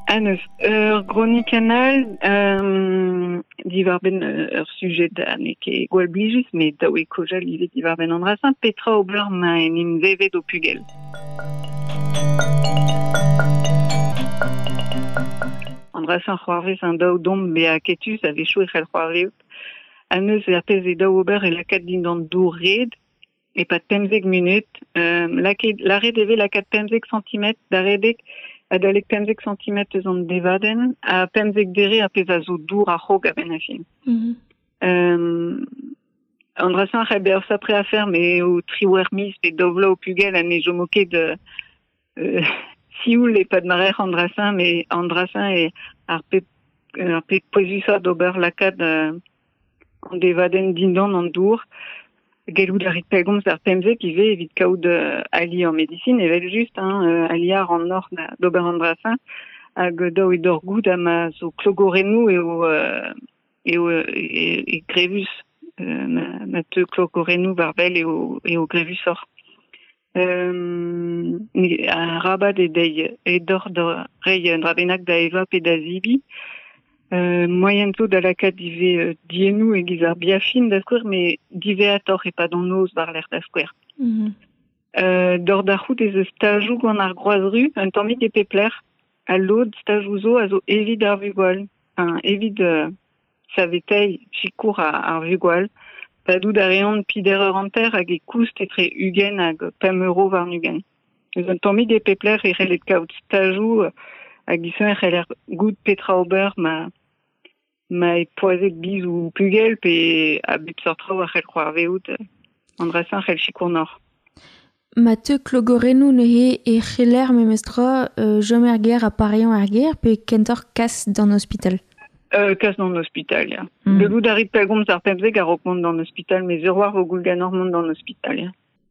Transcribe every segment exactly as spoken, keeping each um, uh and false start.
An eus ur gronikenn all, euh, diwar-benn ur sujet ha n'eo ket gwall blijus, met dav eo kaozeal ivez diwar-benn an dra-se, petra ober ma en em vevet ho pugel. An dra-se c'hoarvez an daou domp bezañ aketus a-wechoù e c'hell c'hoarvezout. An eus ar pezh eo daou ober e lakaat dindan dour red, e-pad pemzek munut, euh, lakaet, lâret e vez lakaat pemzek santimetr da redek, adalek pemzek santimetr eus an devadenn, ha pemzek dere ar pezh a zo dour a-raok a-benn ar fin. Mm-hmm. Euh, an dra-se a c'hell bezañ ur sapre afer, met eo triwec'h miz pe daou vloaz ho pugel ha ne chomo ket euh, sioul e-pad ma rec'h an dra-se, met an dra-se eo ar pep, ar pep pouezusañ d'ober lakaat euh, an devadenn dindan an dour. Gellout a rit pellgomz ar pemzek ivez evit kaout euh, ali ar medisin, evel-just, hein, euh, ali ar an nor d'ober an dra-se, hag daou eo d'hor goût ha ma zo klogorennoù eo, euh, eo e, e grevus, euh, ma, ma teu klogorennoù war-wel eo, eo grevusoc'h. Euh, arabat eo dezhi e dor da reiñ un dra bennak da evañ pe da zebriñ. Euh, moaien zo da lakaat ivez euh, diennoù e-giz ar biafin da skouer, met diwezhatoc'h e-pad an noz war-lerc'h da skouer. Mm-hmm. Euh, dor da c'hoût ez eus stajoù gant ar Groaz-Ru, un tammig e pep lec'h, ha lod stajoù zo a zo evit ar vugale, enfin, evit euh, saveteiñ sikour ar, ar vugale. Padout a reont peder eur hanter hag e koust etre ugent hag pemp euro warn-ugent. Eus un tammig e pep lec'h e c'hellet kaout stajoù hag e c'heller goût petra ober ma ma e poazet biz ou pugel pe a bep seurt traoù a c'hell c'hoarvezout an dra-se a c'hell sikour nor. Ma teu klogorennoù neuze e c'heller memestra euh, chom er gêr ha pareañ er gêr pe kentoc'h kas d'an ospital? Euh, kas d'an ospital, ya. Mm. Gellout a rit pellgomz ar pemzek a-raok mont d'an ospital, met sur war vo goul ganeoc'h mont d'an ospital, ya.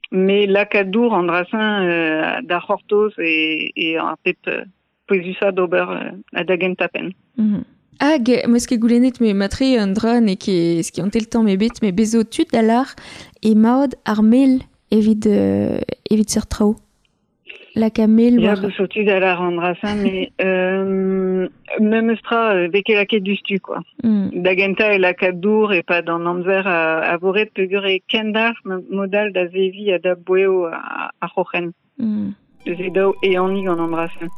Mais lakaat dour an dra-se euh, da c'hortoz e, e ar pep euh, pouezusañ d'ober euh, ha da gentañ penn. Mm. Hag, meus ket goulennet me matre un dra n'eo ket skiantel tamm ebet, met bez zo tud da lâr e maod ar mel evit, euh, evit seurt traoù. Laka mel Ya, war... bez zo tud da lâr an dra-se, met euh, memes tra euh, vez ket lakaet diouzhtu, quoi. Mm. Da gentañ e lakaat dour e-pad an amzer a, a vo ret peogwir e kendalc'h mod-all da zeviñ ha da boeo ar c'hroc'hen. Mm. Eus e daou ehaniñ gant an dra-se.